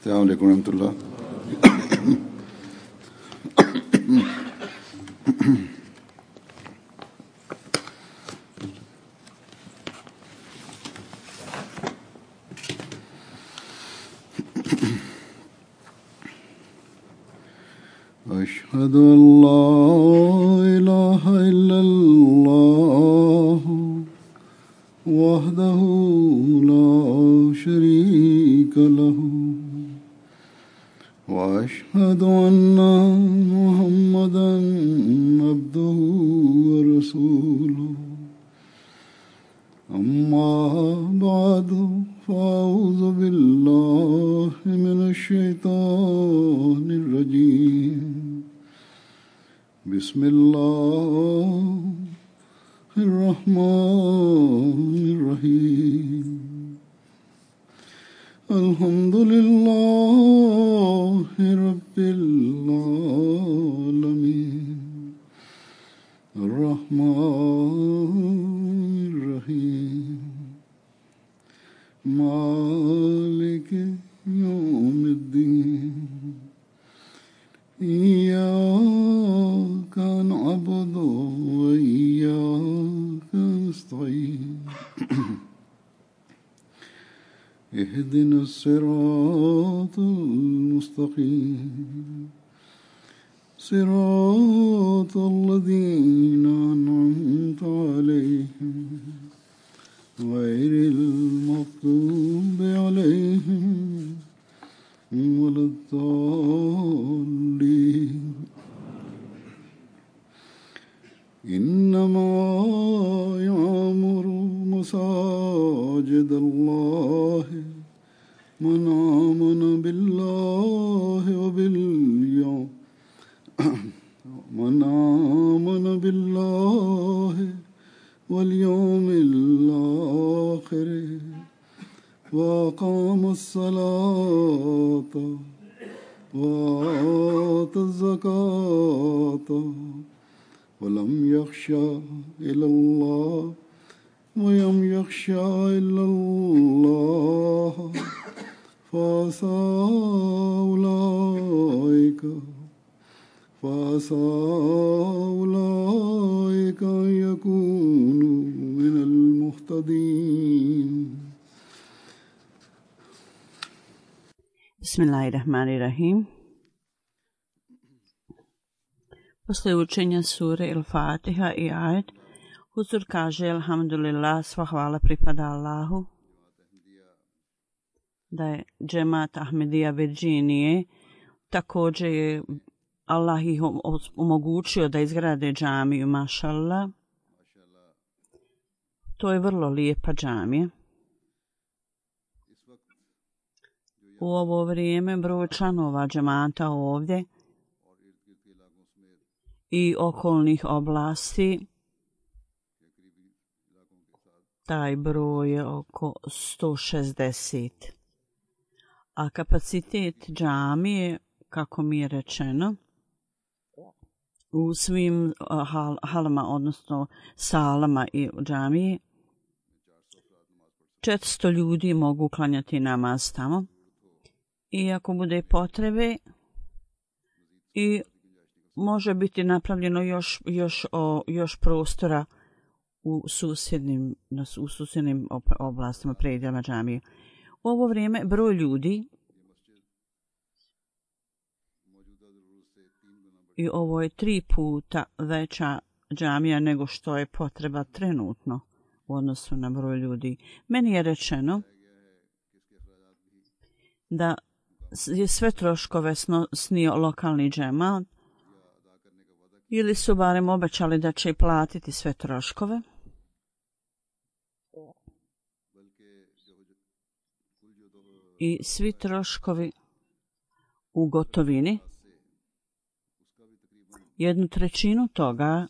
अस्सलाम वालेकुम रहमतुल्लाह। अशहदु अल्ला इलाहा इल्लल्लाह वहदहु ला शरीका लहु वअशहदु अन्ना मुहम्मदन अब्दुहु व रसूलुहु अम्मा बअदु फ़अऊज़ु बिल्लाहि मिनश शैतानिर रजीम बिस्मिल्लाहिर रहमानिर रहीम अल्हम्दुलिल्लाहि रब्बिल आलमीन अर्रहमानिर रहीम मालिकि यौमिद्दीन इय्याका नअबुदु व इय्याका नस्तईन इहदिनस सिरातल मुस्तकीम सिरातल लज़ीना अनअमता अलैहिम गैरिल मग़्दूबि अलैहिम वलद्दाल्लीन इन्नमा यअमुरु मसाजिदल्लाहि मन आमन बिल्लाहि वल यौमिल आखिर व अक़ामस सलाता व आतज़ ज़काता वलम यख़शा इल्लल्लाह फ़असा उलाइका यकूनु मिनल मुहतदीन। Bismillahirrahmanirrahim. Posle učenja sure Il-Fatiha i ajet, Huzur kaže alhamdulillah, sva hvala pripada Allahu, da je džemat Ahmedija Virginije, također je Allah ih omogućio da izgrade džamiju, mašallah. To je vrlo lijepa džamija. U ovo vrijeme broj članova džemata ovdje i okolnih oblasti, taj broj je oko 160. A kapacitet džamije, kako mi je rečeno, u svim halama, odnosno salama i džamiji, 400 ljudi mogu klanjati namaz tamo. I ako bude potrebe, i može biti napravljeno još prostora u susjednim oblastima, predjelima džamije. U ovo vrijeme broj ljudi, i ovo je 3 puta veća džamija nego što je potreba trenutno u odnosu na broj ljudi. Meni je rečeno da je sve troškove snio lokalni džemat, ili su barem obećali da će platiti sve troškove. I svi troškovi u gotovini, 1/3 toga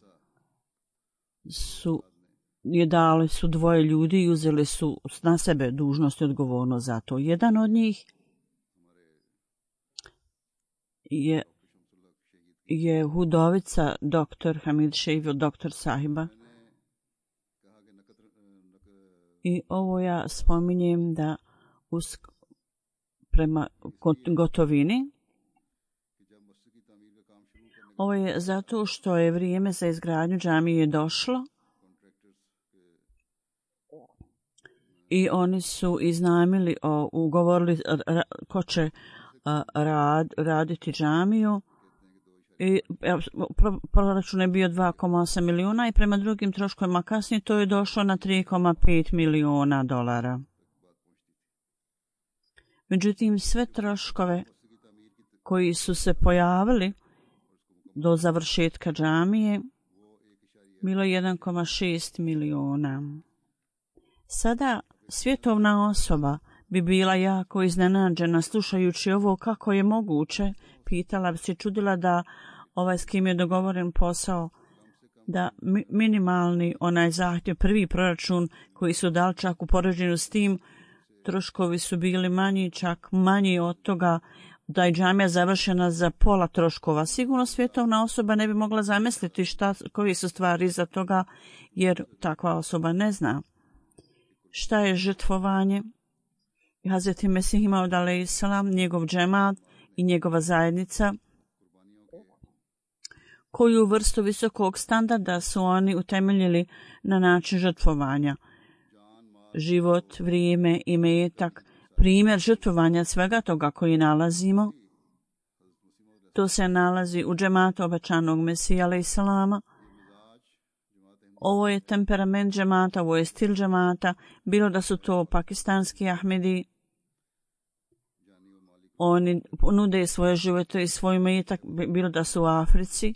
dali su 2 ljudi i uzeli su na sebe dužnost i odgovornost za to. Jedan od njih je hudovica dr. Hamid Šejvil, dr. Sahiba. I ovo ja spominjem da prema gotovini. Ovo je zato što je vrijeme za izgradnju džamije došlo i oni su iznajmili, ugovorili ko će raditi džamiju. I proračun je bio 2,8 milijuna i prema drugim troškovima kasnije to je došlo na 3,5 milijuna dolara. Međutim, sve troškove koji su se pojavili do završetka džamije bilo 1,6 milijuna. Sada svjetovna osoba bi bila jako iznenađena slušajući ovo kako je moguće, pitala bi se, čudila da s kim je dogovoren posao, da minimalni onaj zahtjev, prvi proračun koji su dali čak u poređenju s tim, troškovi su bili manji, čak manji od toga da je džamija završena za pola troškova. Sigurno svjetovna osoba ne bi mogla zamisliti koji su stvari iza toga, jer takva osoba ne zna šta je žrtvovanje. Hazreti Mesih Maud alejhiselam, njegov džemat i njegova zajednica, koju vrstu visokog standarda su oni utemeljili na način žrtvovanja. Život, vrijeme, imetak, primjer žrtvovanja svega toga koji nalazimo, to se nalazi u džematu obećanog Mesija alejhiselama. Ovo je temperament džemata, ovo je stil džemata, bilo da su to pakistanski Ahmedi, oni nude svoje živote i svoj imetak, bilo da su u Africi.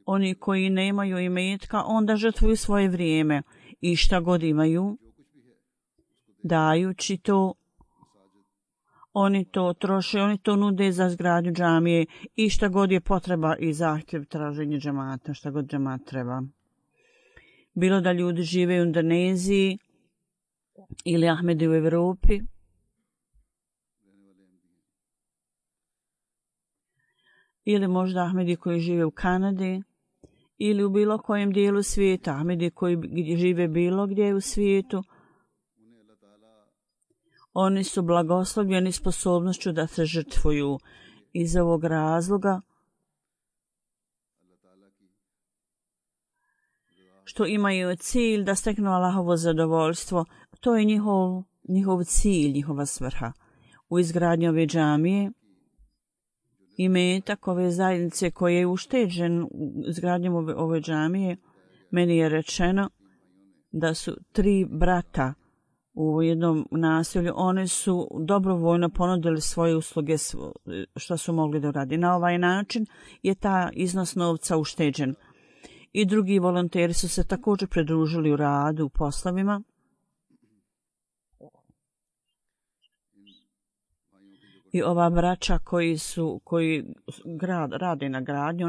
Oni koji nemaju imetka, onda žrtvuju svoje vrijeme i šta god imaju, dajući to, oni to troše, oni to nude za izgradnju džamije i šta god je potreba i zahtjev traženja džemata, šta god džemat treba. Bilo da ljudi žive u Indoneziji ili Ahmedi u Evropi, ili možda Ahmedi koji žive u Kanadi ili u bilo kojem dijelu svijeta, Ahmedi koji žive bilo gdje u svijetu, oni su blagoslovljeni sposobnošću da se žrtvuju. Iz ovog razloga što imaju cilj da steknu Allahovo zadovoljstvo, to je njihov cilj, njihova svrha. U izgradnji ove džamije, imetak ove zajednice koji je ušteđen u izgradnjom ove džamije, meni je rečeno da su 3 brata u jednom naselju, one su dobrovoljno ponudili svoje usluge što su mogli da uradi. Na ovaj način je ta iznos novca ušteđen. I drugi volonteri su se također pridružili u radu, u poslovima. I ova braća koji rade na gradnji,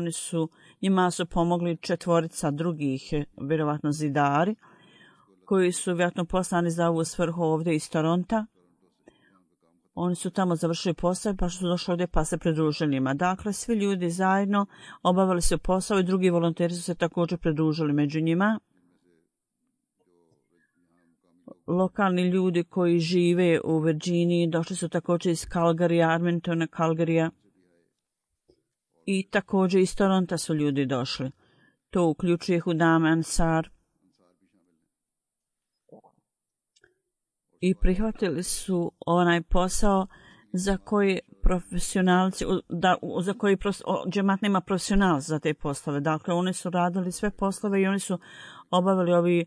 njima su pomogli 4 drugih, vjerovatno zidari, koji su vjerojatno poslani za ovu svrhu ovdje iz Toronta. Oni su tamo završili posao pa su došli ovdje pa se pridružili njima. Dakle, svi ljudi zajedno obavili su posao i drugi volonteri su se također pridružili među njima. Lokalni ljudi koji žive u Virginiji došli su također iz Calgarya, Edmontona, Calgarya i također iz Toronta su ljudi došli. To uključuje Hudam Ansar. I prihvatili su onaj posao za koji profesionalci, za koji džemat nema profesionalci za te poslove. Dakle, oni su radili sve poslove i oni su obavili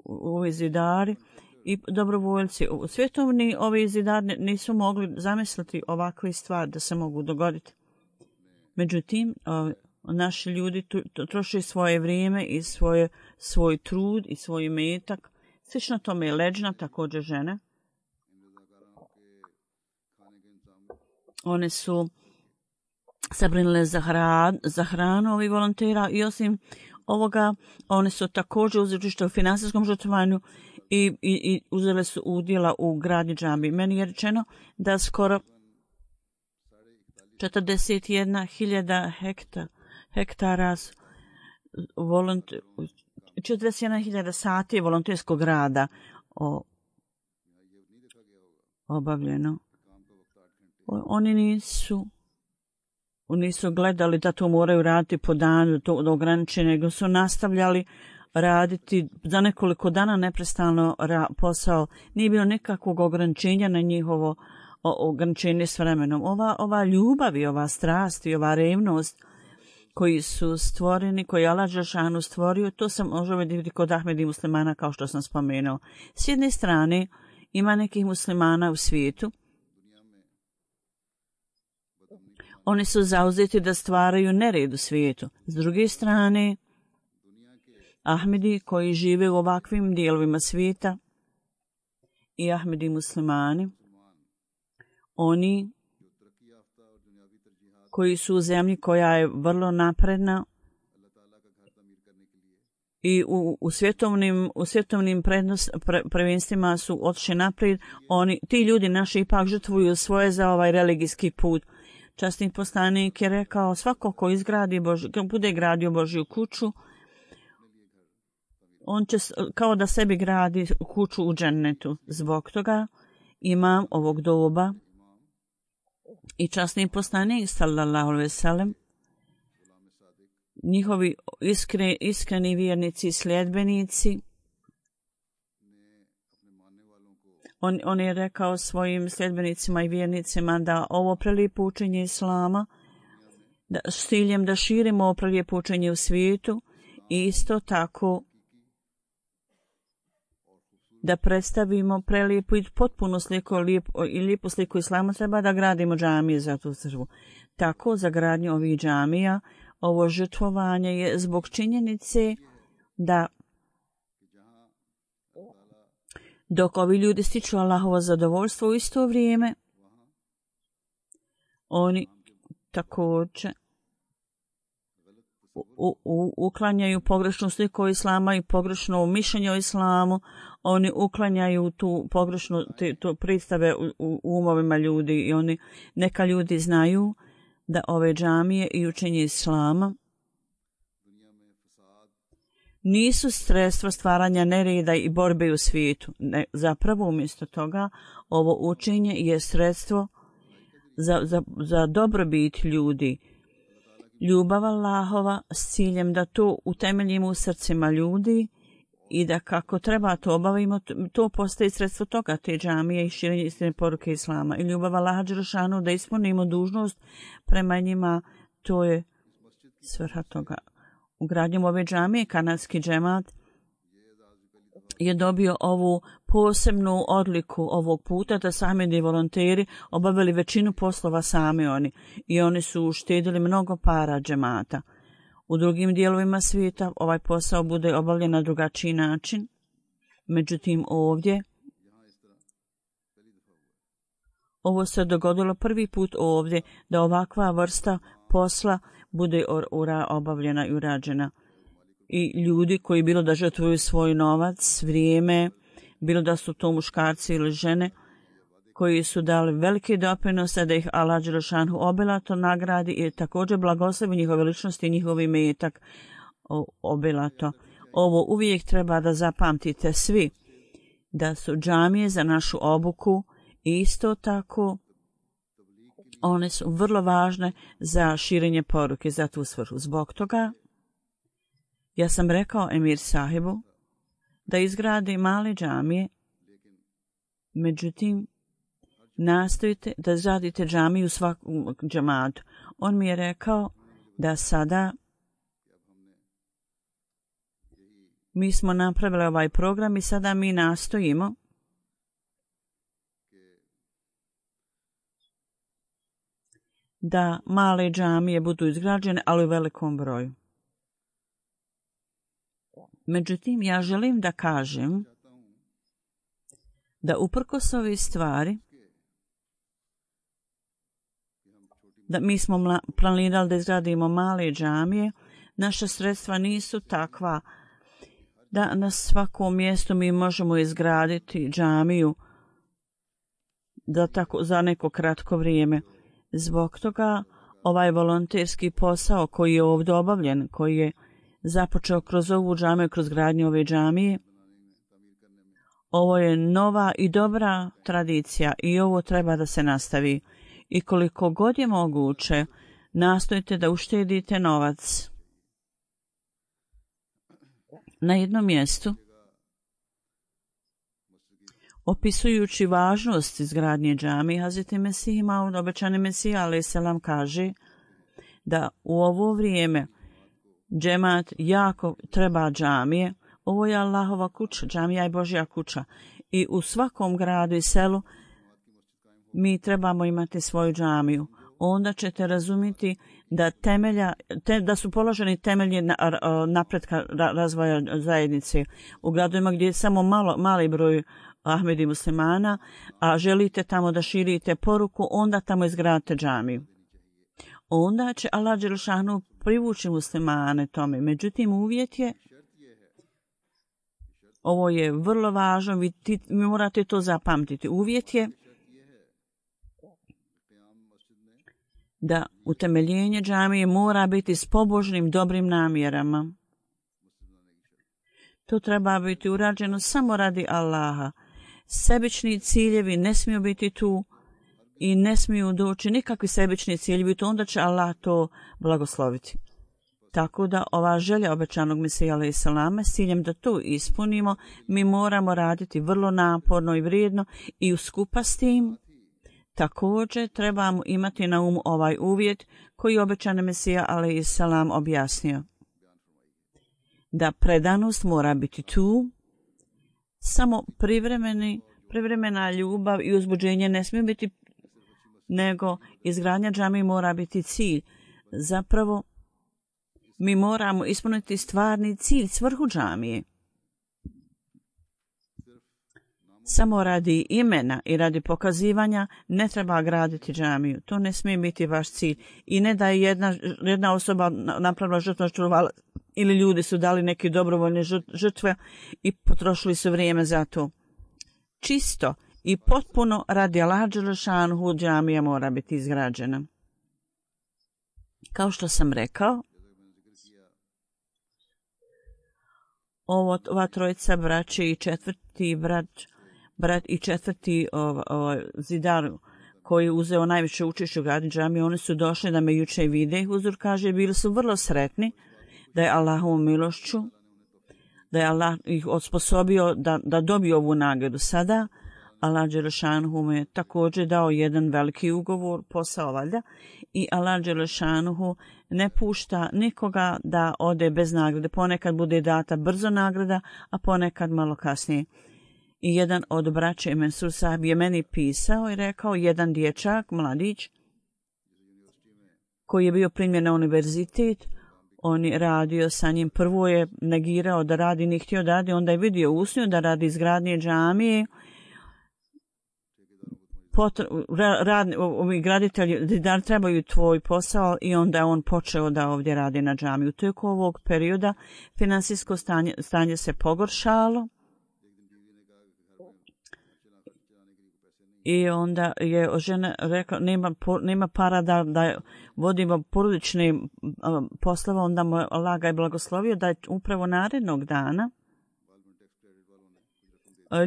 ovi zidari i dobrovoljci. Svjetovni ovi zidari nisu mogli zamisliti ovakve stvari da se mogu dogoditi. Međutim, naši ljudi troše svoje vrijeme i svoj trud i svoj imetak. Slično tome je Leđna, također žene. One su sabrinile za hranu ovih volontera i osim ovoga, one su također uzeli učešće u finansijskom žrtvovanju i uzele su udjela u gradnji džamije. Meni je rečeno da skoro 41.000 hektara 41.000 sati volonterskog rada obavljeno. Oni nisu gledali da to moraju raditi po danu, to ograničeno, nego su nastavljali raditi za nekoliko dana neprestano posao. Nije bilo nekakvog ograničenja na njihovo ograničenje s vremenom. Ova ljubav i ova strast i ova revnost koji su stvoreni, koji je Allah dželešanu stvorio, to se može vidjeti kod Ahmedi muslimana, kao što sam spomenuo. S jedne strane, ima nekih muslimana u svijetu. Oni su zauzeti da stvaraju nered u svijetu. S druge strane, Ahmedi koji žive u ovakvim dijelovima svijeta i Ahmedi muslimani, oni koji su u zemlji koja je vrlo napredna i u svjetovnim prvenstvima su otišli naprijed, ti ljudi naši ipak žrtvuju svoje za ovaj religijski put. Časni poslanik je rekao, svako ko bude gradio Božju kuću, on će kao da sebi gradi kuću u džennetu. Zbog toga imam ovog doba i časni poslanik sallallahu alejhi ve sellem, njihovi iskreni vjernici i sljedbenici, on je rekao svojim sljedbenicima i vjernicima da ovo prelijepo učenje Islama, s ciljem da širimo ovo prelijepo učenje u svijetu i isto tako da predstavimo prelijepu i potpuno sliku i lijepu sliku Islama, treba da gradimo džamije za tu crkvu. Tako, za gradnju ovih džamija, ovo žrtvovanje je zbog činjenice da dok ovi ljudi stiču Allahovo zadovoljstvo u isto vrijeme, oni također uklanjaju pogrešnu sliku Islama i pogrešno mišljenje o Islamu, oni uklanjaju tu pogrešnu predstave u umovima ljudi i neka ljudi znaju da ove džamije i učenje Islama nisu sredstvo stvaranja nereda i borbe u svijetu. Zapravo umjesto toga ovo učenje je sredstvo za dobrobit ljudi. Ljubav Allahova s ciljem da to utemeljimo u srcima ljudi i da kako treba to obavimo, to postaje sredstvo toga, te džamije i širenje istine poruke Islama. I ljubav Allaha dželešanu da ispunimo dužnost prema njima, to je svrha toga. Ugradnjom ove džamije kanadski džemat je dobio ovu posebnu odliku ovog puta da sami volonteri obavili većinu poslova sami oni i oni su uštedili mnogo para džemata. U drugim dijelovima svijeta ovaj posao bude obavljen na drugačiji način, međutim ovdje ovo se dogodilo prvi put ovdje da ovakva vrsta posla bude obavljena i urađena. I ljudi koji bilo da žrtvuju svoj novac, vrijeme, bilo da su to muškarci ili žene, koji su dali velike doprinose da ih Allah dželešanu obilato nagradi i također blagoslovi njihove ličnosti i njihovi imetak obilato. Ovo uvijek treba da zapamtite svi, da su džamije za našu obuku i isto tako one su vrlo važne za širenje poruke, za tu svrhu. Zbog toga ja sam rekao Emir sahibu da izgradi male džamije, međutim nastojite da izgradite džamiju u svakom džamatu. On mi je rekao da sada mi smo napravili ovaj program i sada mi nastojimo da male džamije budu izgrađene, ali u velikom broju. Međutim, ja želim da kažem da uprkos ove stvari, da mi smo planirali da izgradimo male džamije, naša sredstva nisu takva da na svakom mjestu mi možemo izgraditi džamiju za neko kratko vrijeme. Zbog toga ovaj volonterski posao koji je ovdje obavljen, koji je započeo kroz ovu džamiju, kroz gradnju ove džamije, Ovo je nova i dobra tradicija i ovo treba da se nastavi. I koliko god je moguće, nastojite da uštedite novac. Na jednom mjestu, opisujući važnost izgradnje džamije, Hazreti Mesih Maud, obećani Mesija alejhi selam, kaže da u ovo vrijeme džemat jako treba džamije. Ovo je Allahova kuća, džamija je Božja kuća. I u svakom gradu i selu mi trebamo imati svoju džamiju. Onda ćete razumjeti da da su položeni temelji napretka razvoja zajednice. U gradovima gdje je samo mali broj Ahmedi muslimana, a želite tamo da širite poruku, onda tamo izgradite džamiju. Onda će Allah dželešanu privući muslimane tome. Međutim, uvjet je, ovo je vrlo važno, vi morate to zapamtiti. Uvjet je da utemeljenje džamije mora biti s pobožnim dobrim namjerama. To treba biti urađeno samo radi Allaha. Sebični ciljevi ne smiju biti tu i ne smiju doći nikakvi sebični ciljevi, to onda će Allah to blagosloviti. Tako da ova želja obećanog Mesija alejhi selama, s ciljem da to ispunimo, mi moramo raditi vrlo naporno i vrijedno i uskupa s tim također trebamo imati na umu ovaj uvjet koji je obećani Mesija alejhi selam objasnio. Da predanost mora biti tu, samo privremena ljubav i uzbuđenje ne smije biti, nego izgradnja džamije mora biti cilj. Zapravo, mi moramo ispuniti stvarni cilj, svrhu džamije. Samo radi imena i radi pokazivanja ne treba graditi džamiju. To ne smije biti vaš cilj. I ne da je jedna osoba napravila žrtvu ili ljudi su dali neke dobrovoljne žrtve i potrošili su vrijeme za to. Čisto i potpuno radi Allaha dželešanu džamija mora biti izgrađena. Kao što sam rekao, ova trojica braće i četvrti brat i četvrti zidar koji je uzeo najviše učešće u gradnji džamije, oni su došli da me juče vide. Huzur kaže, bili su vrlo sretni da je Allahovom milošću, da je Allah ih osposobio da dobiju ovu nagradu. Sada Allah dželešanuhu mu je također dao jedan veliki ugovor, posao valjda, i Allah dželešanuhu ne pušta nikoga da ode bez nagrade. Ponekad bude data brzo nagrada, a ponekad malo kasnije. I jedan od braće Mensur Sahib je meni pisao i rekao, jedan dječak, mladić, koji je bio primljen na univerzitet, on je radio sa njim, prvo je negirao da radi, nije htio da radi, onda je vidio usnju da radi izgradnje džamije. Ovi graditelji da trebaju tvoj posao i onda je on počeo da ovdje radi na džamiju. Tijekom ovog perioda finansijsko stanje se pogoršalo i onda je žena rekla nema para da vodimo porodične poslove, onda mu Allah ga je blagoslovio da je upravo narednog dana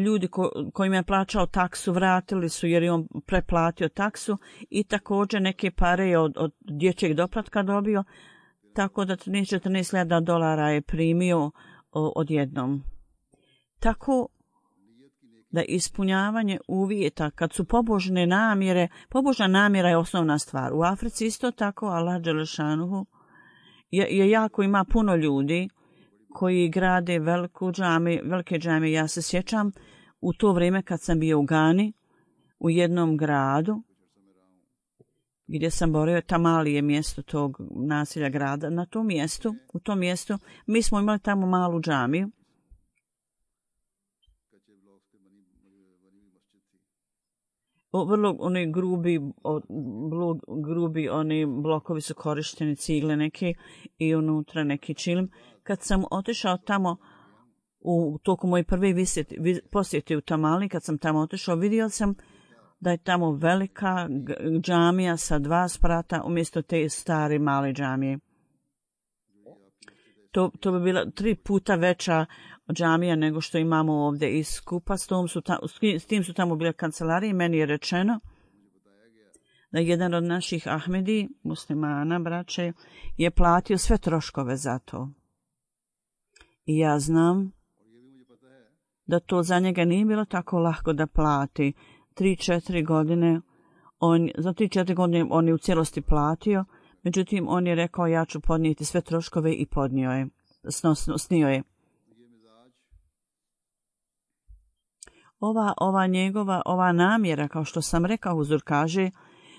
ljudi kojima je plaćao taksu vratili su jer je on preplatio taksu i također neke pare je od dječjeg doplatka dobio, tako da $14,000 je primio odjednom. Tako da ispunjavanje uvjeta, kad su pobožne namjere, pobožna namjera je osnovna stvar. U Africi isto tako Allah dželešanuhu je jako, ima puno ljudi koji grade velike džamije. Ja se sjećam u to vrijeme kad sam bio u Gani, u jednom gradu, gdje sam borio, Tamali je mjesto tog naselja grada, u tom mjestu, mi smo imali tamo malu džamiju. Vrlo oni grubi oni blokovi su korišteni, cigle neke i unutra neki čilim. Kad sam otišao tamo u toku moje prve posjete u Tamali, kad sam tamo otišao, vidio sam da je tamo velika džamija sa 2 sprata umjesto te stare male džamije. To bi bila 3 puta veća džamija nego što imamo ovdje i skupa. S tim su tamo bile kancelarije i meni je rečeno da jedan od naših Ahmedi, muslimana, braće, je platio sve troškove za to. I ja znam da to za njega nije bilo tako lako da plati. 3-4 godine, za 3-4 godine on je u cijelosti platio, međutim on je rekao ja ću podnijeti sve troškove i podnio je, snio je. Ova namjera, kao što sam rekao, Huzur kaže,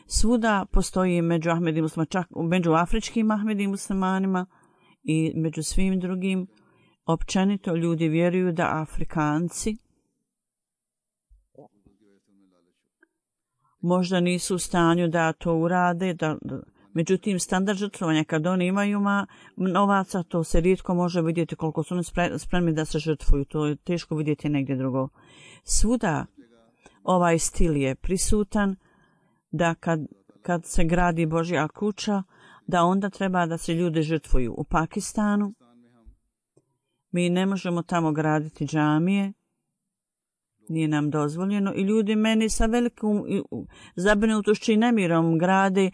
svuda postoji među Ahmedi muslimanima, čak među afričkim Ahmedi muslimanima i među svim drugim. Općenito ljudi vjeruju da Afrikanci možda nisu u stanju da to urade, međutim standard žrtvovanja kad oni imaju novaca, to se rijetko može vidjeti koliko su oni spremni da se žrtvuju, to je teško vidjeti negdje drugo. Svuda ovaj stil je prisutan da kad se gradi Božja kuća, da onda treba da se ljudi žrtvuju. U Pakistanu mi ne možemo tamo graditi džamije, nije nam dozvoljeno i ljudi meni sa velikom zabrinutošću i nemirom grade,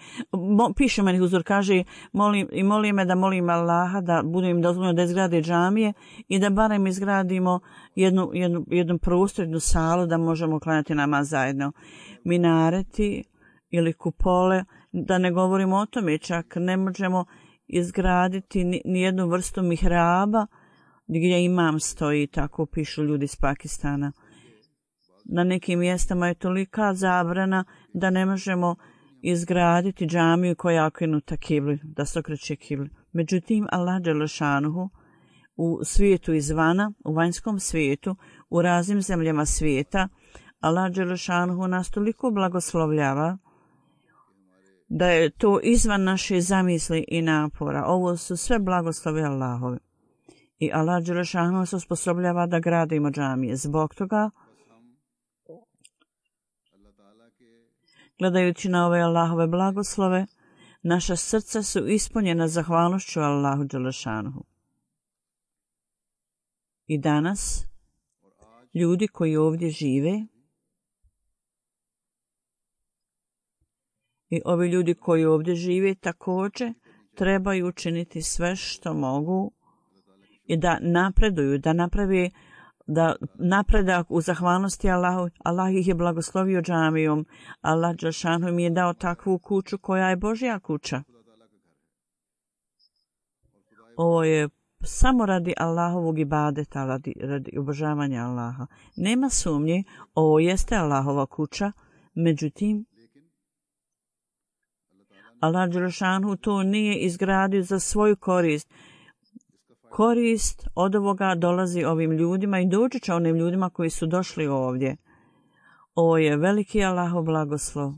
piše meni Huzur, kaže molim me da molim Allaha da bude im dozvoljeno da izgrade džamije i da barem izgradimo jednu prostor, jednu salu da možemo klanjati namaz zajedno. Minareti ili kupole, da ne govorimo o tome, čak ne možemo izgraditi ni jednu vrstu mihraba gdje imam stoji, tako pišu ljudi iz Pakistana. Na nekim mjestama je tolika zabrana da ne možemo izgraditi džamiju koja je okrenuta kibli, da se okreće kibli. Međutim, Allah dželešanuhu u svijetu izvana, u vanjskom svijetu, u raznim zemljama svijeta, Allah dželešanuhu nas toliko blagoslovljava da je to izvan naše zamisli i napora. Ovo su sve blagoslove Allahove. I Allah dželešanuhu se osposobljava da gradimo džamije. Zbog toga, gledajući na ove Allahove blagoslove, naša srca su ispunjena zahvalnošću Allahu dželešanuhu. I danas, ljudi koji ovdje žive, i ovi ljudi koji ovdje žive također trebaju učiniti sve što mogu i da napreduju, da naprave napredak u zahvalnosti Allahu. Allah ih je blagoslovio džamijom. Allah dželešanu mi je dao takvu kuću koja je Božja kuća. Ovo je samo radi Allahovog ibadeta, radi obožavanja Allaha. Nema sumnje, ovo jeste Allahova kuća, međutim, Allah dželešanu to nije izgradio za svoju korist. Korist od ovoga dolazi ovim ljudima i doći će onim ljudima koji su došli ovdje. Ovo je veliki Allahov blagoslov.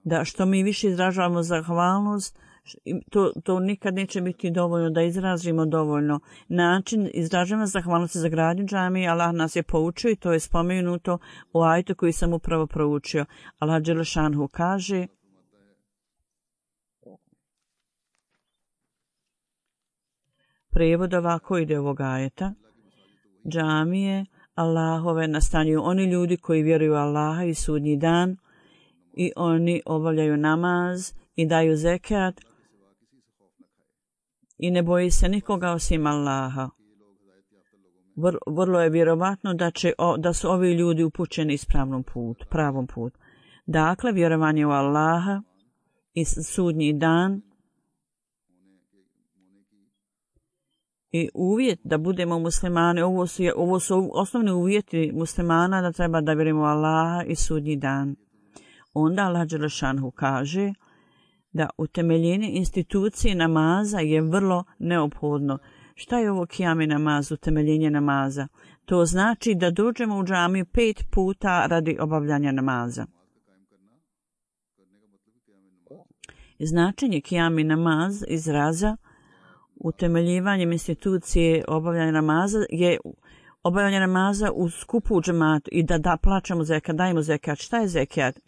Da što mi više izražavamo zahvalnost, to nikad neće biti dovoljno da izrazimo dovoljno. Način izražavanja zahvalnosti za gradnju džamije Allah nas je poučio i to je spomenuto u ajetu koji sam upravo proučio. Allah dželešanhu kaže: Prijevod ovako ide ovog ajeta: džamije Allahove nastanjuju oni ljudi koji vjeruju Allaha i sudnji dan i oni obavljaju namaz i daju zekat i ne boji se nikoga osim Allaha. Vrlo je vjerovatno da su ovi ljudi upućeni pravom putu. Dakle, vjerovanje u Allaha i sudnji dan i uvjet da budemo muslimani, ovo su osnovni uvjeti muslimana da treba da vjerujemo u Allaha i sudnji dan. Onda Allah dželešanhu kaže da utemeljenje institucije namaza je vrlo neophodno. Šta je ovo kijami namaz, utemeljenje namaza? To znači da dođemo u džamiju 5 puta radi obavljanja namaza. Značenje kijami namaz izraza utemeljivanjem institucije obavljanja namaza je obavljanje namaza u skupu u džematu i da plaćamo zekat, dajemo zekat. Šta je zekat?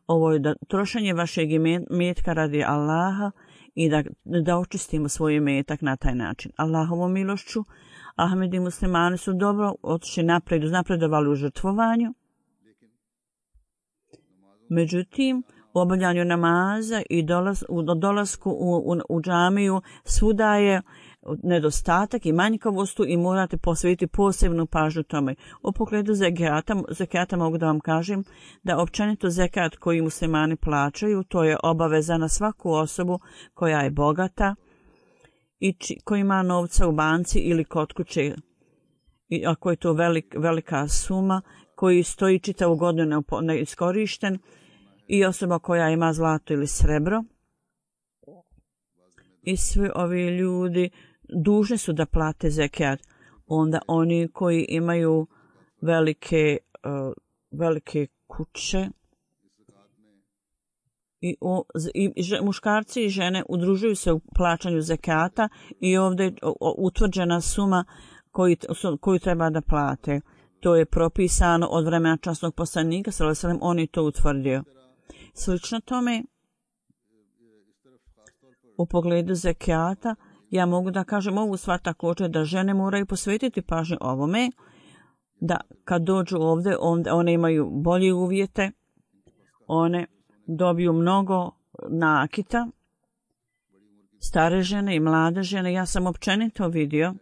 Ovo je da trošenje vašeg imetka radi Allaha i da očistimo svoj imetak na taj način. Allahovom milošću Ahmedi muslimani su dobro otišli naprijed, napredovali u žrtvovanju. Međutim, u obavljanju namaza i dolasku u džamiju svuda je nedostatak i manjkavost i morate posvetiti posebnu pažnju tome. U pogledu zekata mogu da vam kažem da općenito zekat koji muslimani plaćaju, to je obaveza na svaku osobu koja je bogata i koji ima novca u banci ili kod kuće. I ako je to velika suma koji stoji čitavu godinu neiskorišten, i osoba koja ima zlato ili srebro, i svi ovi ljudi dužni su da plate zekat. Onda oni koji imaju velike kuće i muškarci i žene udružuju se u plaćanju zekata i ovdje je utvrđena suma koju treba da plate. To je propisano od vremena časnog poslanika, on je to utvrdio. Slično tome, u pogledu zekijata, ja mogu da kažem ovu stvar također da žene moraju posvetiti pažnju ovome, da kad dođu ovdje, one imaju bolje uvjete, one dobiju mnogo nakita, stare žene i mlade žene. Ja sam općenito vidio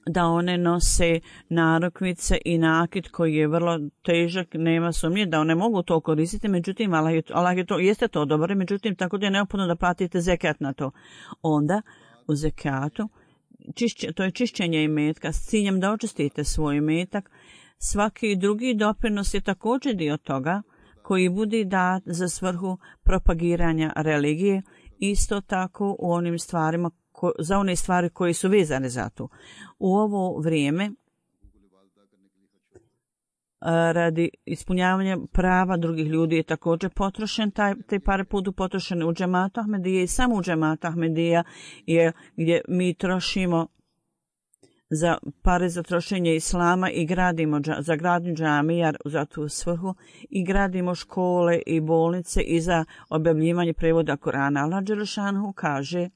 da one nose narukvice i nakit koji je vrlo težak, nema sumnje da one mogu to koristiti, međutim Allah je to, jeste to dobro, međutim tako da je neophodno da platite zekat na to. Onda u zekatu to je čišćenje imetka s ciljem da očistite svoj imetak. Svaki drugi doprinos je također dio toga koji bude dat za svrhu propagiranja religije, isto tako u onim stvarima za one stvari koje su vezane za to. U ovo vrijeme radi ispunjavanja prava drugih ljudi je također potrošen, te pare budu potrošene u džematu Ahmedija i samo u džematu Ahmedija je gdje mi trošimo za pare za trošenje islama i gradimo za gradnju džamija za tu svrhu i gradimo škole i bolnice i za objavljivanje prevoda Kurana. Allah dželešanu kaže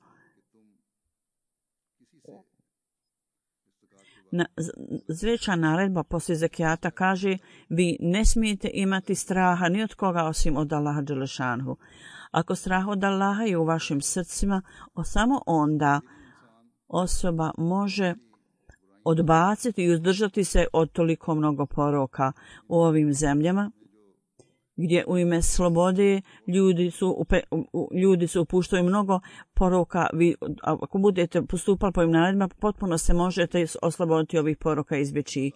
Zveća naredba poslije zekijata kaže vi ne smijete imati straha ni od koga osim od Allaha dželešanhu. Ako strah od Allaha je u vašim srcima, samo onda osoba može odbaciti i uzdržati se od toliko mnogo poroka u ovim zemljama gdje u ime slobode ljudi su upuštaju mnogo poroka. Vi, ako budete postupali po ovim naredbama, potpuno se možete osloboditi ovih poroka i izbjeći.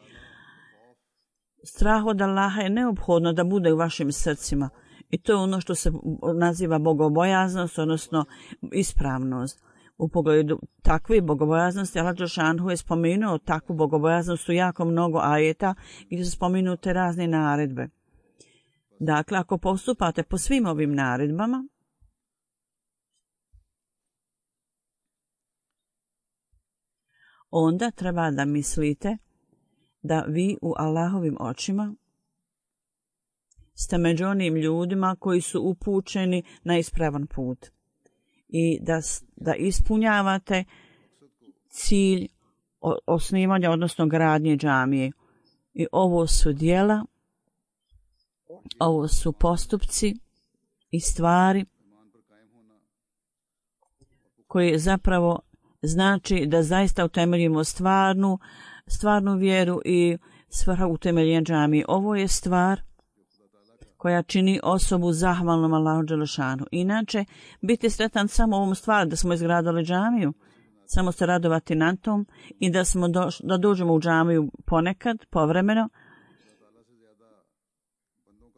Strah od Allaha je neophodno da bude u vašim srcima i to je ono što se naziva bogobojaznost, odnosno ispravnost. U pogledu takve bogobojaznosti Allah dželešanu je spomenuo takvu bogobojaznost u jako mnogo ajeta gdje su spomenute razne naredbe. Dakle, ako postupate po svim ovim naredbama, onda treba da mislite da vi u Allahovim očima ste među onim ljudima koji su upućeni na ispravan put i da ispunjavate cilj osnivanja, odnosno gradnje džamije. I ovo su djela, ovo su postupci i stvari koje zapravo znači da zaista utemeljimo stvarnu vjeru i svrha utemeljenja džamije. Ovo je stvar koja čini osobu zahvalnom Allahu dželešanu. Inače, biti sretan samo ovom stvari da smo izgradili džamiju, samo se radovati na tom i da dođemo u džamiju ponekad, povremeno,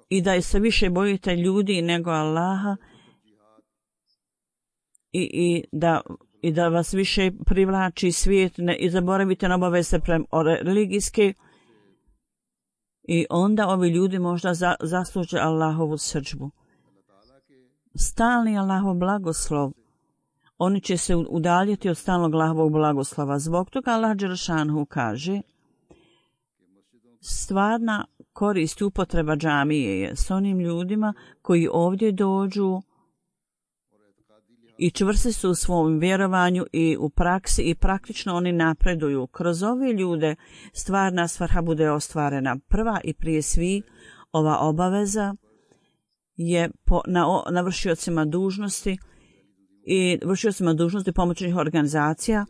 i da se više bojite ljudi nego Allaha i da vas više privlači svijet i zaboravite na obaveze religijske i onda ovi ljudi možda zasluže Allahovu srdžbu. Stalni Allahov blagoslov, oni će se udaljiti od stalnog Allahovog blagoslova. Zbog toga Allah dželešanu kaže stvarna korist upotreba džamije je s onim ljudima koji ovdje dođu i čvrsti su u svom vjerovanju i u praksi i praktično oni napreduju. Kroz ove ljude stvarna svrha bude ostvarena. Prva i prije svih ova obaveza je na vršiocima dužnosti i vršiocima dužnosti pomoćnih organizacija,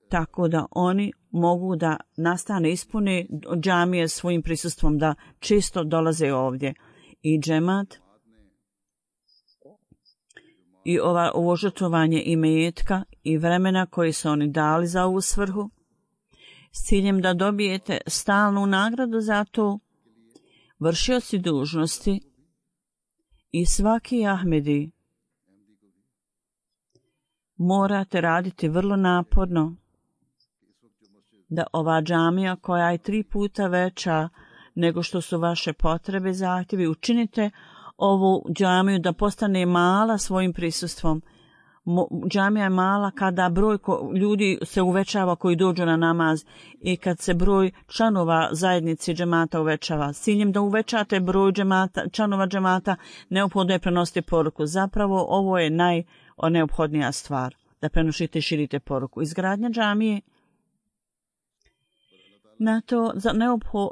tako da oni mogu da nastane ispune džamije svojim prisustvom, da često dolaze ovdje. I džemat i ovo žrtvovanje imetka i vremena koji su oni dali za ovu svrhu, s ciljem da dobijete stalnu nagradu za to, vršioci dužnosti i svaki Ahmedi morate raditi vrlo naporno da ova džamija koja je 3 puta veća nego što su vaše potrebe, zahtjevi, učinite ovu džamiju da postane mala svojim prisustvom. Džamija je mala kada broj ljudi se uvećava koji dođu na namaz i kad se broj članova zajednici džemata uvećava. S ciljem da uvećate broj članova džemata, neophodno je prenositi poruku. Zapravo ovo je najneophodnija stvar, da prenosite i širite poruku. Izgradnja džamije na to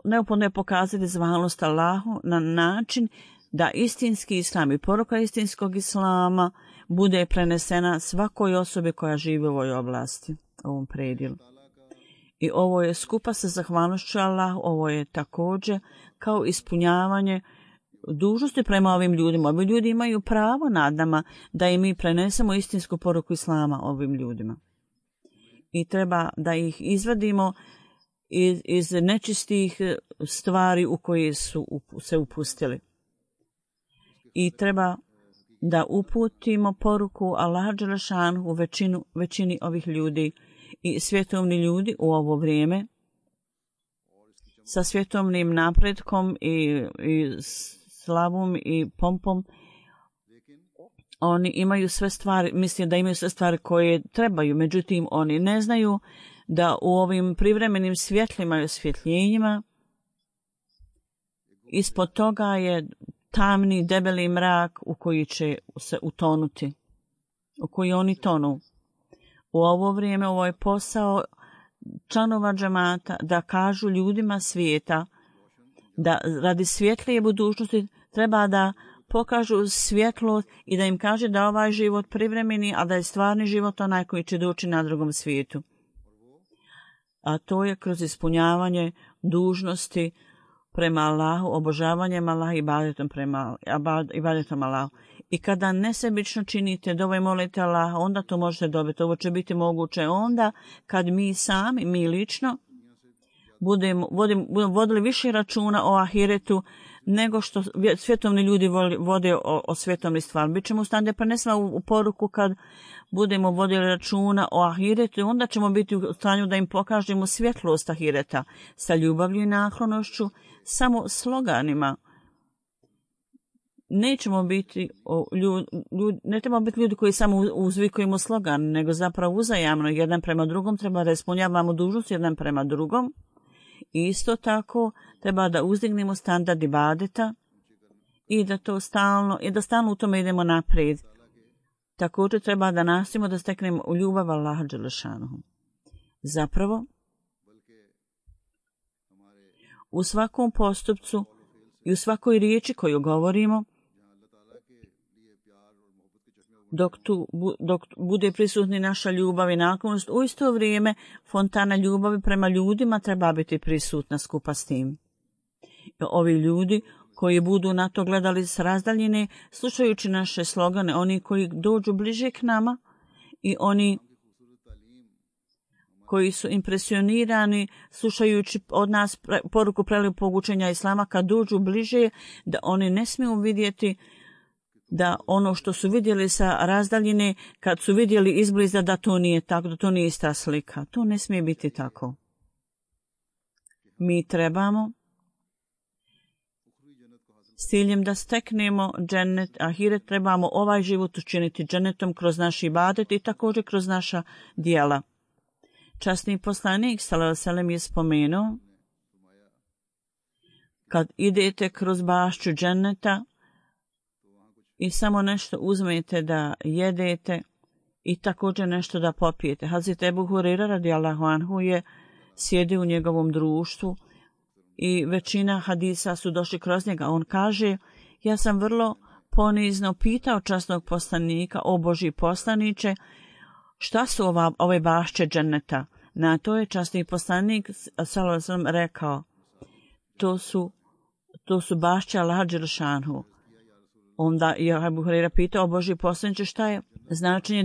neophodno je pokazati zahvalnost Allahu na način da istinski islam i poruka istinskog islama bude prenesena svakoj osobi koja živi u ovoj oblasti, ovom predjelu. I ovo je skupa sa zahvalnošću Allahu, ovo je također kao ispunjavanje dužnosti prema ovim ljudima. Ovi ljudi imaju pravo nad nama da i mi prenesemo istinsku poruku islama ovim ljudima. I treba da ih izvadimo iz nečistih stvari u koje su se upustili. I treba da uputimo poruku Allaha dželešanu u većini ovih ljudi i svjetovni ljudi u ovo vrijeme sa svjetovnim napretkom i slavom i pompom. Oni imaju sve stvari, misle da imaju sve stvari koje trebaju, međutim oni ne znaju da u ovim privremenim svjetlima i osvjetljenjima ispod toga je tamni, debeli mrak u koji će se utonuti, u koji oni tonu. U ovo vrijeme, ovo je posao članova džemata da kažu ljudima svijeta da radi svjetlije budućnosti treba da pokažu svjetlost i da im kaže da ovaj život privremeni, a da je stvarni život onaj koji će doći na drugom svijetu. A to je kroz ispunjavanje dužnosti prema Allahu, obožavanjem Allaha i ibadetom Allahu. I kada nesebično činite dove i molite Allaha, onda to možete dobiti. Ovo će biti moguće onda kad mi sami, mi lično, budemo vodili više računa o ahiretu nego što svjetovni ljudi vode o svjetovni stvar. Bićemo u stanju da prenesemo u poruku kad budemo vodili računa o ahiretu, onda ćemo biti u stanju da im pokažemo svjetlost ahireta sa ljubavlju i naklonošću, samo sloganima. Nećemo biti ne trebamo biti ljudi koji samo uzvikujemo slogan, nego zapravo uzajamno jedan prema drugom treba da ispunjavamo dužnost jedan prema drugom. Isto tako treba da uzdignemo standard ibadeta i da stalno u tome idemo naprijed. Također treba da nastojimo da steknemo ljubav Allaha dželešanuhu. Zapravo, u svakom postupcu i u svakoj riječi koju govorimo, dok bude prisutni naša ljubav i naklonost, u isto vrijeme fontana ljubavi prema ljudima treba biti prisutna skupa s tim. Ovi ljudi koji budu na to gledali s razdaljine, slušajući naše slogane, oni koji dođu bliže k nama i oni koji su impresionirani slušajući od nas poruku prelijepog učenja islama, kad dođu bliže, da oni ne smiju vidjeti da ono što su vidjeli sa razdaljine, kad su vidjeli izbliza, da to nije tako, da to nije ista slika. To ne smije biti tako. Mi trebamo s ciljem da steknemo džennet, ahiret, trebamo ovaj život učiniti džennetom kroz naš ibadet i također kroz naša djela. Časni poslanik sallallahu alejhi ve sellem je spomenuo, kad idete kroz bašću dženneta i samo nešto uzmete da jedete i također nešto da popijete. Hazret Ebu Hurera radijallahu anhu je sjedio u njegovom društvu i većina hadisa su došli kroz njega. On kaže, ja sam vrlo ponizno pitao časnog poslanika, o Božji poslaniče, šta su ove bašće dženneta? Na to je časni poslanik sallallahu alejhi ve sellem rekao, to su bašće Allaha dželle šanhu. Onda je Ebu Hurera pitao, o Božji poslaniče, šta je značenje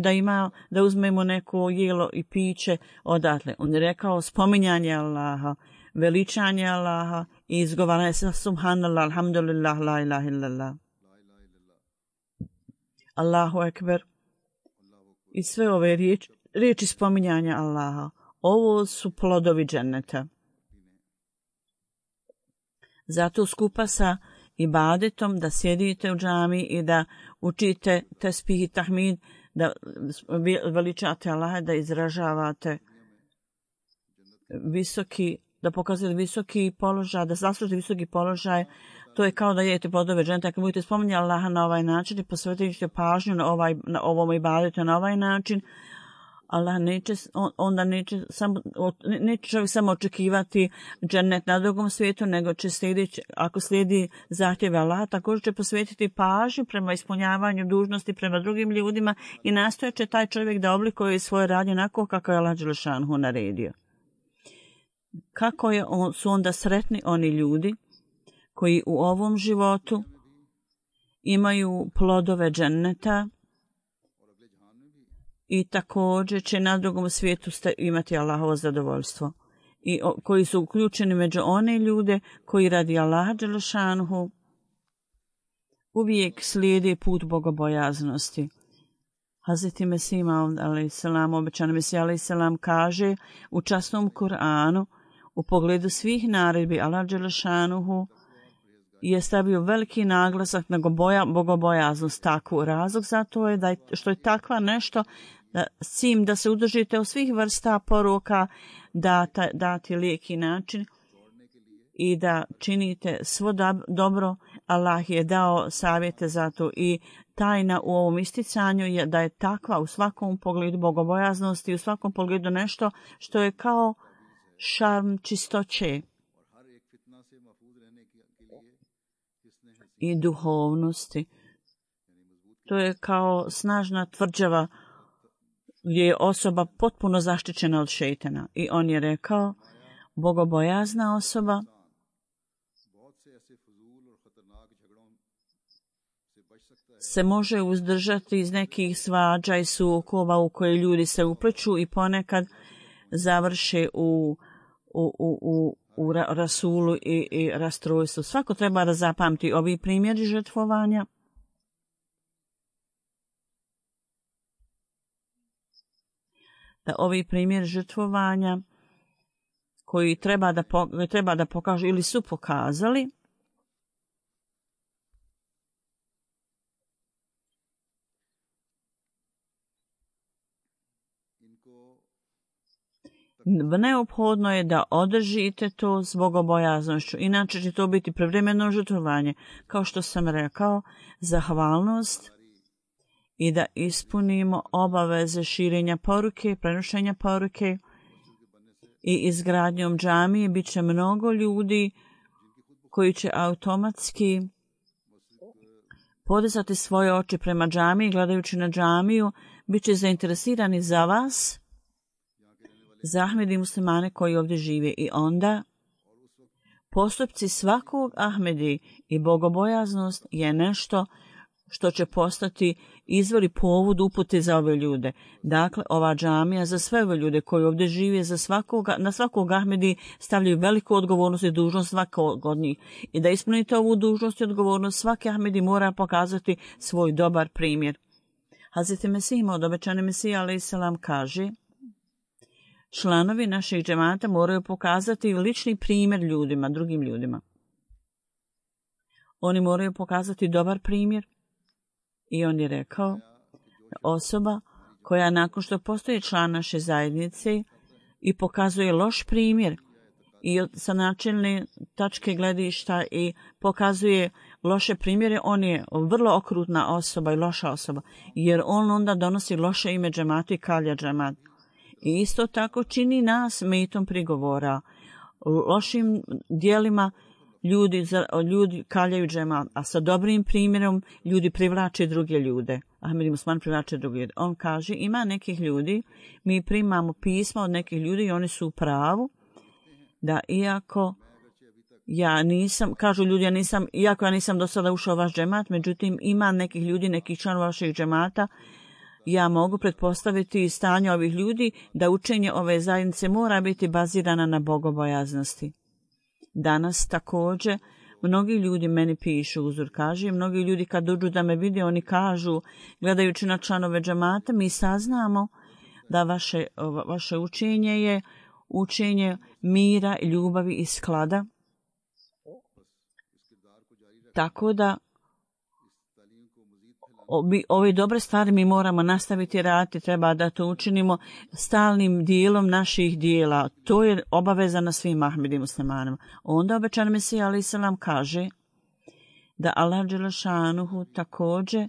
da uzmemo neko jelo i piće odatle? On je rekao, spominjanje Allaha, veličanje Allaha i izgovaranje se subhanallah, alhamdulillah, la ilaha illallah, Allahu ekber. I sve ove riječi spominjanja Allaha, ovo su plodovi dženneta. Zato skupa sa ibadetom da sjedite u džami i da učite tesbih i tahmid, da veličate Allaha, da izražavate da pokazujete visoki položaj, da zaslužite visoki položaj, to je kao da jedete plodove dženneta. Ako budete spominjati Allaha na ovaj način i posvetite pažnju na ovom ibadetu na ovaj način, Allah neće čovjek samo očekivati džennet na drugom svijetu, nego će ako slijedi zahtjeve Allaha, također će posvetiti pažnju prema ispunjavanju dužnosti prema drugim ljudima i nastojat će taj čovjek da oblikuje svoje radnje onako kako je Allah dželle šanhu naredio. Kako su onda sretni oni ljudi koji u ovom životu imaju plodove dženneta i također će na drugom svijetu imati Allahovo zadovoljstvo. I koji su uključeni među one ljude koji radi Allaha dželle šanhu uvijek slijede put bogobojaznosti. Hazreti Mesih Maud alejselam, obećani Mesih alejselam, kaže u časnom Kur'anu u pogledu svih naredbi Allah dželle šanuhu je stavio veliki naglasak na bogobojaznost. Takvu razlog zato je što je takva nešto s tim da se udržite od svih vrsta poroka, dati lijeki način i da činite svo dobro. Allah je dao savjete za to i tajna u ovom isticanju je da je takva u svakom pogledu bogobojaznosti i u svakom pogledu nešto što je kao šarm čistoće i duhovnosti. To je kao snažna tvrđava gdje je osoba potpuno zaštićena od šejtana. I on je rekao, bogobojazna osoba se može uzdržati iz nekih svađa i sukoba u koje ljudi se upleću i ponekad završe u rasulu i rastrojstvu. Svako treba da zapamti ovi primjeri žrtvovanja. Da ovi primjeri žrtvovanja koji treba da pokažu ili su pokazali, neophodno je da održite to s bogobojaznošću, inače će to biti privremeno žrtvovanje, kao što sam rekao, zahvalnost i da ispunimo obaveze širenja poruke, prenošenja poruke i izgradnjom džamije. Bit će mnogo ljudi koji će automatski podizati svoje oči prema džamiji, gledajući na džamiju, bit će zainteresirani za vas, za Ahmedi muslimane koji ovdje žive. I onda postupci svakog Ahmedi i bogobojaznost je nešto što će postati izvor i povod upute za ove ljude. Dakle, ova džamija za sve ove ljude koji ovdje žive, na svakog Ahmedi stavljaju veliku odgovornost i dužnost svakog od njih. I da ispunite ovu dužnost i odgovornost, svaki Ahmedi mora pokazati svoj dobar primjer. Hazreti Mesih Maud, obećani Mesih alejselam, kaže, članovi naših džemata moraju pokazati lični primjer ljudima, drugim ljudima. Oni moraju pokazati dobar primjer. I on je rekao, osoba koja nakon što postoji član naše zajednice i pokazuje loš primjer i sa načelne tačke gledišta i pokazuje loše primjere, on je vrlo okrutna osoba i loša osoba, jer on onda donosi loše ime džematu i kalja džemat. I isto tako čini nas metom prigovora. Lošim dijelima ljudi kaljaju džemat, a sa dobrim primjerom ljudi privlače druge ljude. Ahmed Musman privlače druge ljude. On kaže, ima nekih ljudi, mi primamo pisma od nekih ljudi i oni su u pravu, da iako ja nisam do sada ušao u vaš džemat, međutim ima nekih ljudi, nekih članova vašeg džemata, ja mogu pretpostaviti stanje ovih ljudi da učenje ove zajednice mora biti bazirana na bogobojaznosti. Danas također mnogi ljudi meni pišu, uzor kaže, mnogi ljudi kad dođu da me vide, oni kažu, gledajući na članove džemata, mi saznamo da vaše učenje je učenje mira, ljubavi i sklada. Tako da ove dobre stvari mi moramo nastaviti raditi, treba da to učinimo stalnim dijelom naših dijela. To je obaveza na svim Ahmedi muslimanima. Onda obećan Mesija alejhi selam kaže da Allah dželešanuhu također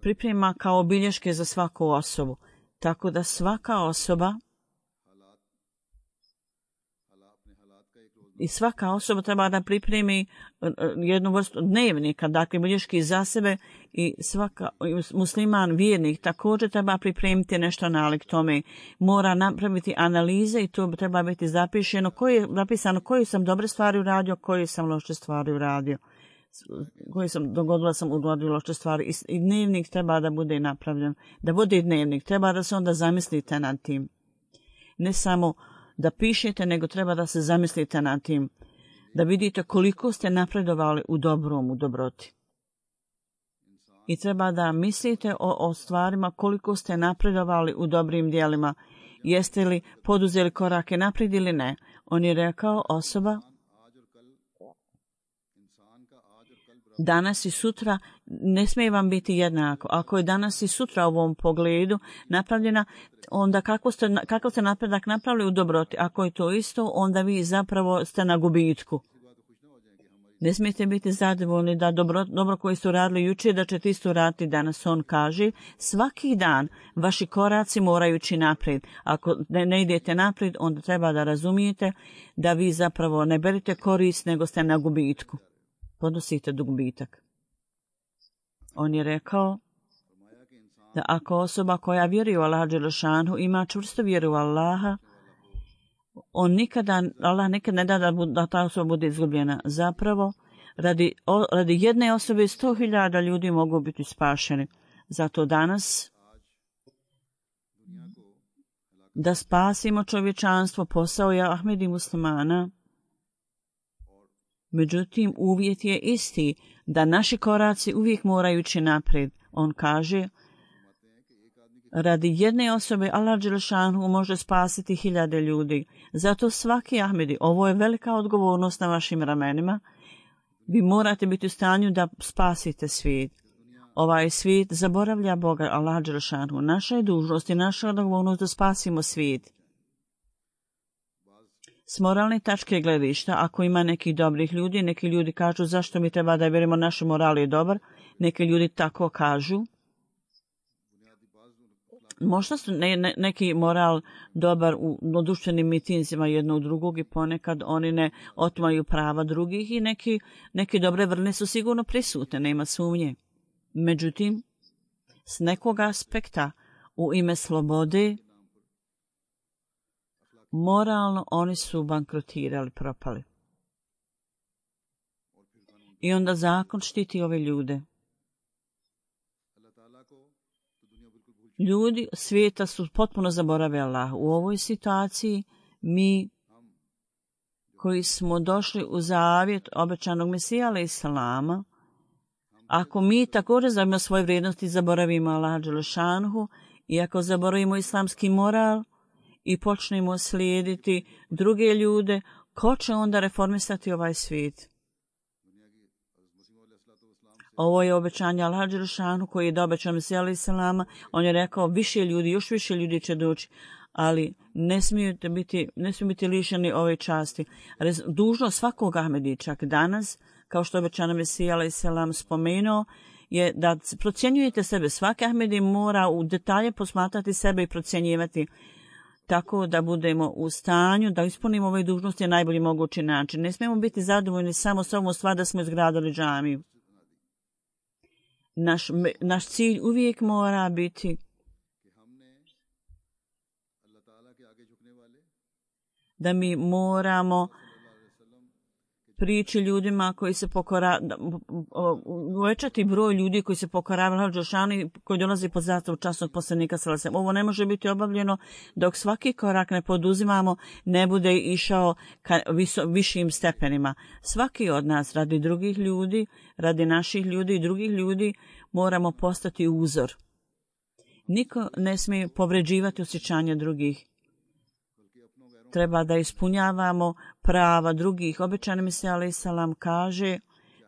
priprema kao bilješke za svaku osobu. Tako da svaka osoba treba da pripremi jednu vrstu dnevnika, dakle bilješki za sebe, i svaka musliman vjernik također treba pripremiti nešto nalik tome. Mora napraviti analize i to treba biti zapisano koje sam dobre stvari uradio, koje sam loše stvari uradio. Dogodila sam loše stvari i dnevnik treba da bude napravljen. Da bude dnevnik, treba da se onda zamislite nad tim. Ne samo da pišete, nego treba da se zamislite nad tim, da vidite koliko ste napredovali u dobrom, u dobroti. I treba da mislite o stvarima koliko ste napredovali u dobrim dijelima. Jeste li poduzeli korake naprijed ili ne? On je rekao, osoba danas i sutra ne smije vam biti jednako. Ako je danas i sutra u ovom pogledu napravljena, onda kako ste napredak napravili u dobroti? Ako je to isto, onda vi zapravo ste na gubitku. Ne smijete biti zadovoljni da dobro koje ste radili jučer, da ćete isto raditi danas. On kaže, svaki dan vaši koraci moraju ići naprijed. Ako ne idete naprijed, onda treba da razumijete da vi zapravo ne berete korist, nego ste na gubitku. Podnosite gubitak. On je rekao da ako osoba koja vjeruje u Allaha dželešanu ima čvrstu vjeru u Allaha, Allah nikad ne da da ta osoba bude izgubljena. Zapravo, radi jedne osobe 100.000 ljudi mogu biti spašeni. Zato danas da spasimo čovječanstvo posao je Ahmedi muslimana. Međutim, uvjet je isti, da naši koraci uvijek moraju ići naprijed. On kaže, radi jedne osobe Allah dželešanu može spasiti 1000 ljudi. Zato svaki Ahmedi, ovo je velika odgovornost na vašim ramenima, vi morate biti u stanju da spasite svijet. Ovaj svijet zaboravlja Boga, Allah dželešanu. Naša je dužnost i naša odgovornost da spasimo svijet. S moralne tačke gledišta, ako ima nekih dobrih ljudi, neki ljudi kažu zašto mi treba da vjerujemo naš moral je dobar, neki ljudi tako kažu. Možda su neki moral dobar u društvenim mitinzima jednog drugog i ponekad oni ne otimaju prava drugih i neki dobre vrline su sigurno prisutne, nema sumnje. Međutim, s nekog aspekta u ime slobode, moralno oni su bankrotirali, propali. I onda zakon štiti ove ljude. Ljudi svijeta su potpuno zaboravili Allah. U ovoj situaciji mi koji smo došli u zavjet obećanog Mesija alejhi selama, ako mi također zabavimo svoje vrijednosti i zaboravimo Allah dželešanhu i ako zaboravimo islamski moral i počnemo slijediti druge ljude, ko će onda reformisati ovaj svijet? Ovo je obećanje Allaha dželešanu koji je dao obećan Mesija alejhi selama. On je rekao više ljudi, još više ljudi će doći, ali ne smiju biti lišeni ove časti. Dužnost svakog Ahmedi, čak danas, kao što je obećan Mesija alejhi selam spomenuo, je da procjenjujete sebe. Svaki Ahmedi mora u detalje posmatrati sebe i procjenjivati tako da budemo u stanju da ispunimo ove dužnosti na najbolji mogući način. Ne smijemo biti zadovoljni samo s ovom stvar da smo izgradili džamiju. Naš cilj uvijek mora biti da mi moramo prići ljudima koji se uvećati broj ljudi koji se pokoravaju Allahu dželešanu i koji dolazi pod zastavu časnog poslanika sallallahu alejhi ve sellem. Ovo ne može biti obavljeno dok svaki korak ne poduzimamo, ne bude išao ka višim stepenima. Svaki od nas radi drugih ljudi, radi naših ljudi i drugih ljudi moramo postati uzor. Niko ne smije povređivati osjećanja drugih. Treba da ispunjavamo prava drugih. Obećani Mesija alejhi selam kaže,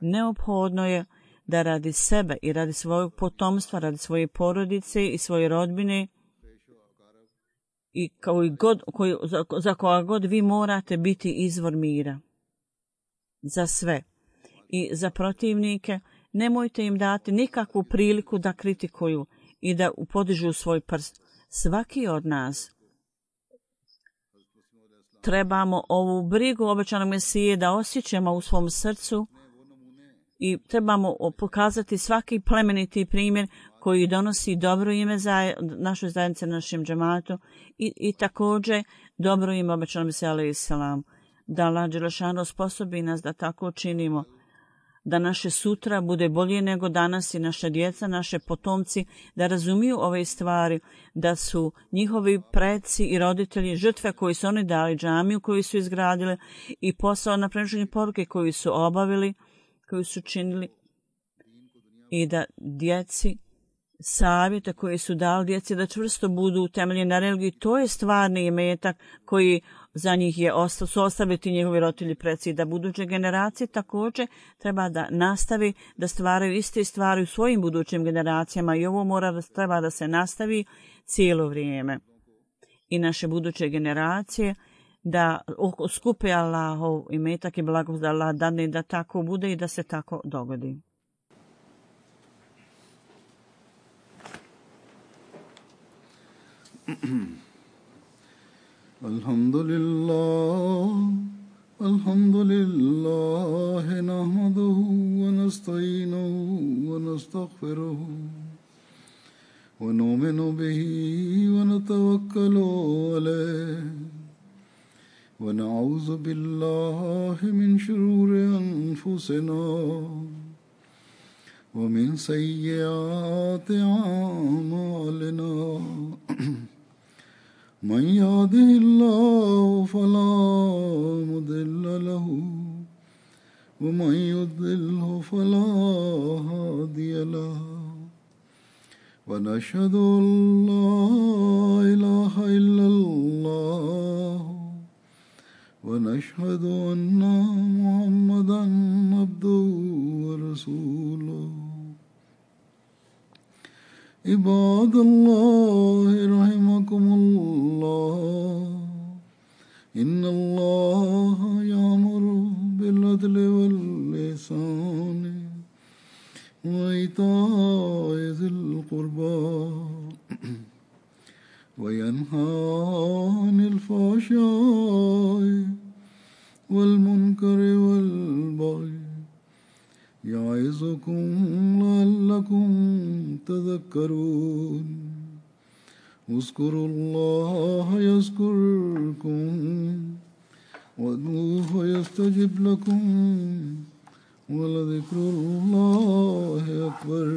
neophodno je da radi sebe i radi svojeg potomstva, radi svoje porodice i svoje rodbine i za koga god vi morate biti izvor mira. Za sve. I za protivnike nemojte im dati nikakvu priliku da kritikuju i da podižu svoj prst. Svaki od nas trebamo ovu brigu obećanog Mesije da osjećamo u svom srcu i trebamo pokazati svaki plemeniti primjer koji donosi dobro ime za našoj zajednici, našem džematu i također dobro ime obećanog Mesije alejhi selam. Da Allah dželešanu sposobi nas da tako činimo, da naše sutra bude bolje nego danas i naše djeca, naše potomci, da razumiju ove stvari, da su njihovi preci i roditelji žrtve koji su oni dali, džamiju koju su izgradili i posao na prenošenju poruke koju su obavili, koju su činili i da djeci savjete koje su dali djeci da čvrsto budu utemeljeni na religiji, to je stvarni imetak koji za njih su ostaviti njegovi roditelji preci, da buduće generacije također treba da nastavi da stvaraju iste stvari u svojim budućim generacijama i ovo treba da se nastavi cijelo vrijeme. I naše buduće generacije da skupe Allahov imetak i blagost da Allah dadne da tako bude i da se tako dogodi. Alhamdulillah nahmaduhu wa nasta'inuhu wa nastaghfiruhu wa nu'minu bihi wa natawakkalu alayhi wa na'udhu billahi min shururi anfusina wa min sayyiati a'malina. من يهده الله فلا مضل له ومن يضلله فلا هادي له ونشهد أن لا إله إلا الله ونشهد أن محمدا عبده ورسوله. عباد الله رحمكم الله إن الله يأمر بالعدل والإحسان وإيتاء ذي القربى وينهى عن الفحشاء والمنكر والبغي يعظكم لعلكم تذكرون. اذكروا الله يذكركم وادعوه يستجب لكم ولذكر الله أكبر.